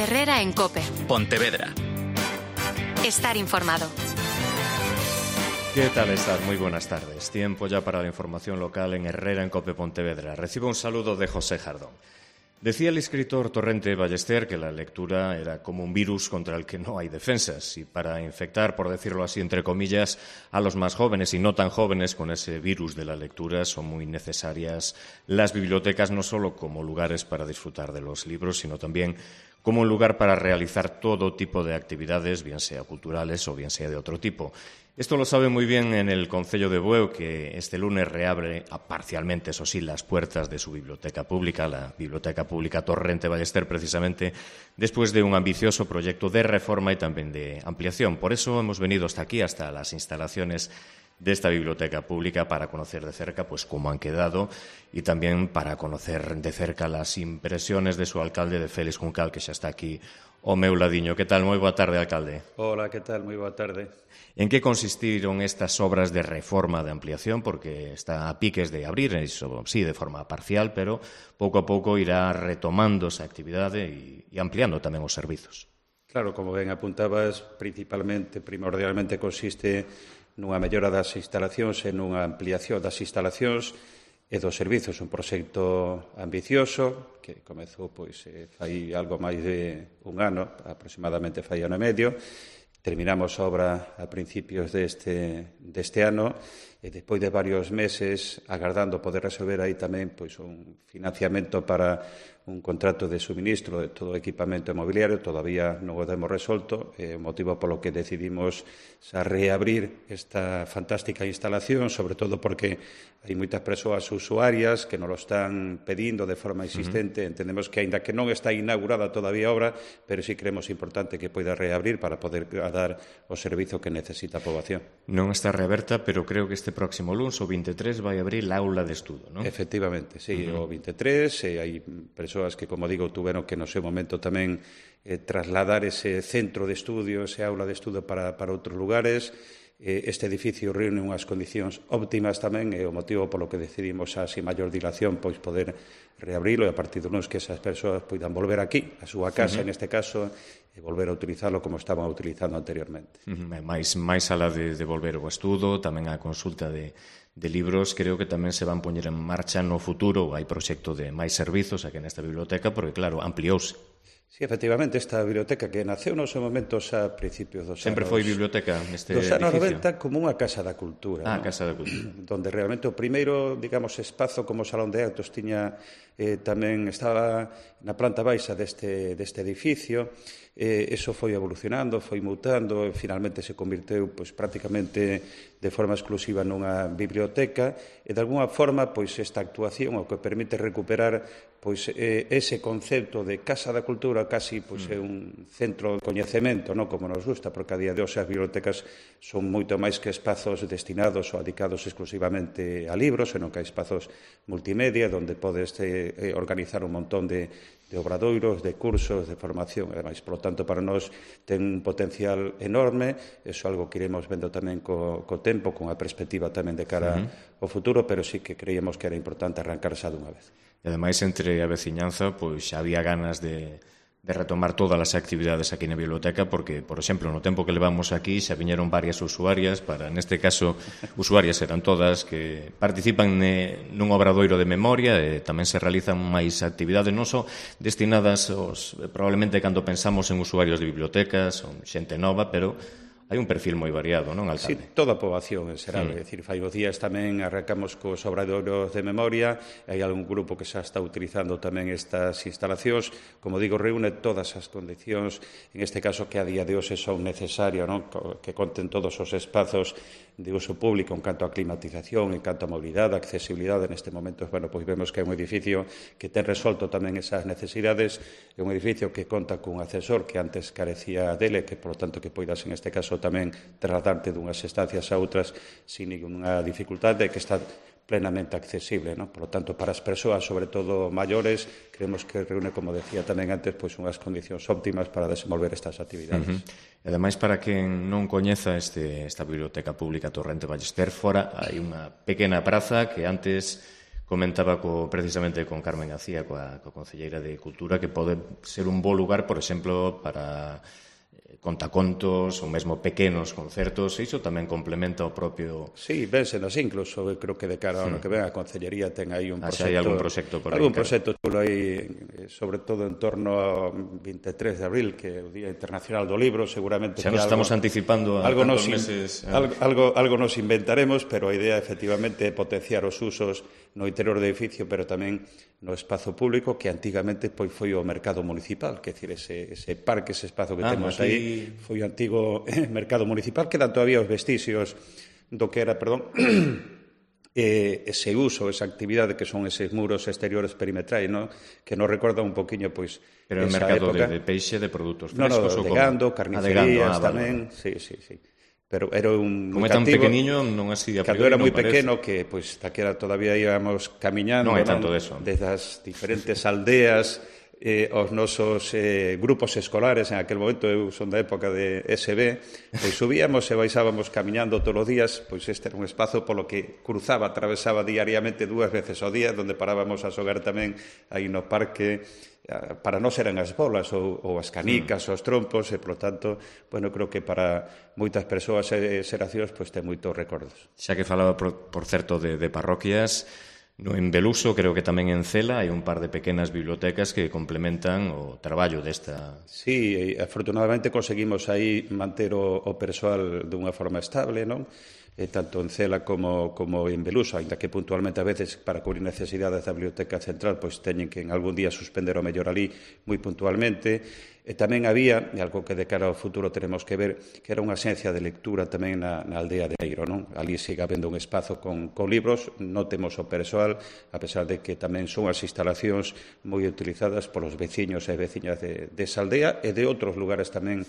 Herrera en COPE. Pontevedra. Estar informado. ¿Qué tal estás? Muy buenas tardes. Tiempo ya para la información local en Herrera en COPE Pontevedra. Recibo un saludo de José Jardón. Decía el escritor Torrente Ballester que la lectura era como un virus contra el que no hay defensas y para infectar, por decirlo así, entre comillas, a los más jóvenes y no tan jóvenes con ese virus de la lectura son muy necesarias las bibliotecas no solo como lugares para disfrutar de los libros, sino también como un lugar para realizar todo tipo de actividades, bien sea culturales o bien sea de otro tipo. Esto lo sabe muy bien en el Concello de Bueu, que este lunes reabre parcialmente, eso sí, las puertas de su biblioteca pública, la Biblioteca Pública Torrente Ballester, precisamente después de un ambicioso proyecto de reforma y también de ampliación. Por eso hemos venido hasta aquí, hasta las instalaciones de esta biblioteca pública, para conocer de cerca pues cómo han quedado y también para conocer de cerca las impresiones de su alcalde, de Félix Juncal, que xa está aquí ao meu ladiño. Que tal? Moi boa tarde, alcalde. Hola, que tal? Moi boa tarde. En que consistiron estas obras de reforma, de ampliación? Porque está a piques de abrir, eso, sí, de forma parcial, pero pouco a pouco irá retomando esa actividade e ampliando tamén os servizos. Claro, como ben apuntabas, primordialmente consiste nunha mellora das instalacións e nunha ampliación das instalacións e dos servizos. Un proxecto ambicioso que comezou fai algo máis de un ano, aproximadamente fai ano e medio. Terminamos a obra a principios deste ano e despois de varios meses agardando poder resolver aí tamén un financiamento para un contrato de suministro de todo o equipamento mobiliario. Todavía non o temos resolto, o motivo polo que decidimos reabrir esta fantástica instalación, sobre todo porque hai moitas persoas usuarias que nos lo están pedindo de forma insistente. Entendemos que, aínda que non está inaugurada todavía a obra, pero sí creemos importante que poida reabrir para poder dar o servizo que necesita a poboación. Non está reaberta, pero creo que este próximo lunes, o 23, vai abrir a aula de estudo, non? Efectivamente, sí, o 23, hai persoas que, como digo, tuveron que no seu momento tamén trasladar ese centro de estudio, ese aula de estudo para outros lugares. Este edificio reúne unhas condicións óptimas tamén, e o motivo polo que decidimos a sin maior dilación poder reabrilo, e a partir do lunes que esas persoas poidan volver aquí, a súa casa, en este caso, e volver a utilizarlo como estaban utilizando anteriormente. Mais alá de volver ao estudo, tamén a consulta de libros, creo que tamén se van poñer en marcha no futuro. Hai proxecto de máis servizos aquí nesta biblioteca, porque, claro, ampliouse. Sí, efectivamente, esta biblioteca que naceu nos momentos a principios dos anos... Sempre foi biblioteca neste edificio? Dos anos 90 como unha casa da cultura. Casa da cultura. Donde realmente o primeiro, digamos, espazo como salón de actos tiña tamén estaba na planta baixa deste edificio. Eso foi evolucionando, foi mutando, e finalmente se convirteu prácticamente de forma exclusiva nunha biblioteca, e de alguna forma esta actuación o que permite recuperar ese concepto de casa da cultura casi é un centro de coñecemento, non como nos gusta, porque a día de hoxe as bibliotecas son moito máis que espazos destinados ou dedicados exclusivamente a libros, senón que hai espazos multimedia onde podes organizar un montón de obradoiros, de cursos, de formación. Ademais, polo tanto, para nós ten un potencial enorme. Iso é algo que iremos vendo tamén co tempo, con a perspectiva tamén de cara ao futuro, pero sí que creíamos que era importante arrancar xa dunha vez. E ademais, entre a veciñanza, xa había ganas de retomar todas as actividades aquí na biblioteca, porque, por exemplo, no tempo que levamos aquí xa viñeron varias usuarias, neste caso, usuarias eran todas, que participan nun obradoiro de memoria, e tamén se realizan máis actividades, non só destinadas probablemente cando pensamos en usuarios de bibliotecas, ou xente nova, pero hai un perfil moi variado, non, alcalde? Sí, toda a poboación en xeral. É dicir, fai os días tamén arrancamos cos obradoiros de memoria, hai algún grupo que xa está utilizando tamén estas instalacións. Como digo, reúne todas as condicións, en este caso que a día de hoxe son necesarias, non? Que conten todos os espazos de uso público en canto a climatización, en canto a mobilidade, a accesibilidade. Neste momento, vemos que é un edificio que ten resolto tamén esas necesidades, é un edificio que conta cun ascensor que antes carecía dele, que, por lo tanto, que poidas, en este caso, tamén trasladarte dunhas estancias a outras sin ninguna dificultade, que está plenamente accesible, non? Por lo tanto, para as persoas, sobre todo maiores, creemos que reúne, como decía tamén antes, unhas condicións óptimas para desenvolver estas actividades. E ademais, para quen non coñeza esta Biblioteca Pública Torrente Ballester, fora hai unha pequena praza que antes Comentaba precisamente con Carmen García, coa concelleira de Cultura, que pode ser un bo lugar, por exemplo, para contacontos ou mesmo pequenos concertos, e iso tamén complementa o propio... Sí, vénsenos incluso, eu creo que de cara ao ano que ven a Concellería ten aí un proxecto... hai algún proxecto por aí. Algún proxecto chulo aí, sobre todo en torno ao 23 de abril, que é o Día Internacional do Libro, seguramente... Xa nos estamos anticipando a tantos meses... Algo nos inventaremos, pero a idea, efectivamente, é potenciar os usos no interior do edificio, pero tamén no espazo público, que antigamente foi o mercado municipal, que é dicir, ese parque, ese espazo que temos aí, foi o antigo mercado municipal, quedan todavía os vestixios do que era, ese uso, esa actividade que son eses muros exteriores perimetrais, ¿no? Que nos recorda un poquinho, pois, pero esa mercado época. De peixe, de produtos frescos? No, de gando, carnicerías tamén, sí. Pero era un como é tan pequeniño, non así a priori. Cando era moi pequeno, que pois taquera todavía íbamos camiñando, non hai tanto deso, desde as diferentes aldeas, os nosos grupos escolares, en aquel momento eu son da época de SB, pois subíamos e baixábamos camiñando todos os días, pois este era un espazo polo que atravesaba diariamente 2 veces ao día, onde parábamos a xogar tamén aí no parque, para non eran as bolas ou as canicas, os trompos, e, polo tanto, bueno, creo que para moitas persoas e xeracións, pois, ten moitos recordos. Xa que falaba, por certo, de parroquias, no en Beluso, creo que tamén en Cela, hai un par de pequenas bibliotecas que complementan o traballo desta... Sí, afortunadamente conseguimos aí manter o persoal dunha forma estable, non? Tanto en Cela como en Beluso, ainda que puntualmente a veces para cubrir necesidades da Biblioteca Central pois teñen que en algún día suspender o mellor ali moi puntualmente. E tamén había, e algo que de cara ao futuro teremos que ver, que era unha xencia de lectura tamén na aldea de Eiro, non? Ali siga habendo un espazo con libros, non temos o persoal, a pesar de que tamén son as instalacións moi utilizadas polos veciños e veciñas desa aldea e de outros lugares tamén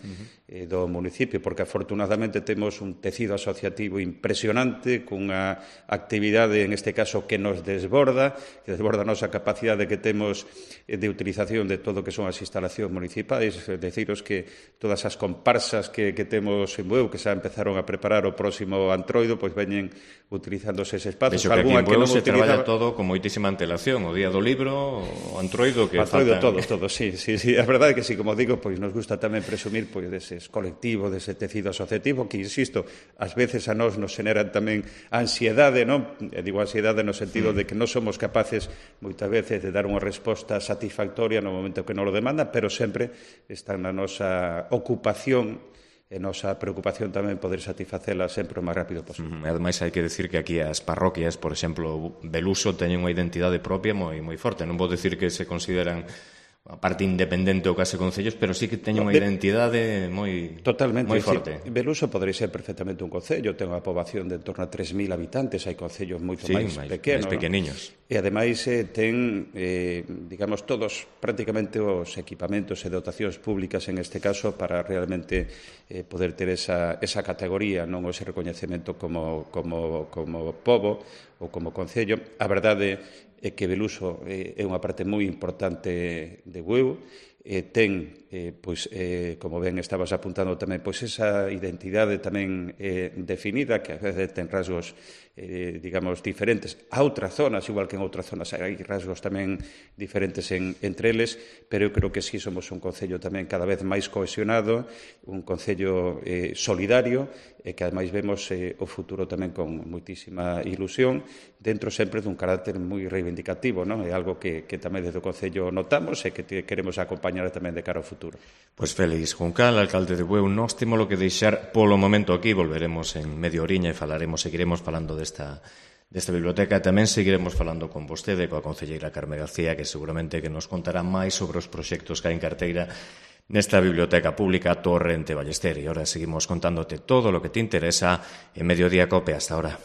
do municipio, porque afortunadamente temos un tecido asociativo impresionante, cunha actividade, en este caso, que nos desborda a nosa capacidade que temos de utilización de todo o que son as instalacións municipais. Deciros que todas as comparsas que temos en Bueu, que xa empezaron a preparar o próximo Antroido, pois veñen utilizándose ese espazo. Vexo que aquí en Bueu se traballa todo con moitísima antelación, o Día do Libro, o Antroido, que faltan... todo, sí. A verdade é que, sí, como digo, pois nos gusta tamén presumir pois deses colectivos, dese tecido asociativo, que, insisto, ás veces a nós nos generan tamén ansiedade, non? E digo ansiedade no sentido de que non somos capaces, moitas veces, de dar unha resposta satisfactoria no momento que nos lo demanda, pero sempre está na nosa ocupación e nosa preocupación tamén poder satisfacela sempre o máis rápido posible. Ademais, hai que decir que aquí as parroquias, por exemplo, Beluso, teñen unha identidade propia moi forte. Non vou decir que se consideran a parte independente ou case concellos, pero sí que teñen unha identidade moi forte. Sí. Beluso podería ser perfectamente un concello, ten unha poboación de en torno a 3.000 habitantes, hai concellos moito máis pequenos. máis pequeniños. E ademais ten, digamos, todos prácticamente os equipamentos e dotacións públicas en este caso para realmente poder ter esa categoría, non ese recoñecemento como pobo ou como concello. A verdade é que Beluso é unha parte moi importante de Bueu, ten, como ben estabas apuntando tamén, pois esa identidade tamén definida, que a veces ten rasgos, digamos, diferentes a outras zonas, igual que en outras zonas hai rasgos tamén diferentes entre eles, pero eu creo que sí somos un concello tamén cada vez máis cohesionado, un concello solidario, e que ademais vemos o futuro tamén con moitísima ilusión, dentro sempre dun carácter moi reivindicativo, non? É algo que tamén desde o concello notamos e que queremos acompañar tamén de cara ao futuro. Pois Félix Juncal, alcalde de Bueu, nós temos lo que deixar polo momento aquí, volveremos en media oriña e seguiremos falando desta biblioteca, e tamén seguiremos falando con vostede, coa concelleira Carmen García, que seguramente que nos contará máis sobre os proxectos que hai en carteira nesta biblioteca pública Torrente Ballester. E ahora seguimos contándote todo lo que te interesa en Mediodía Cope. Hasta ahora.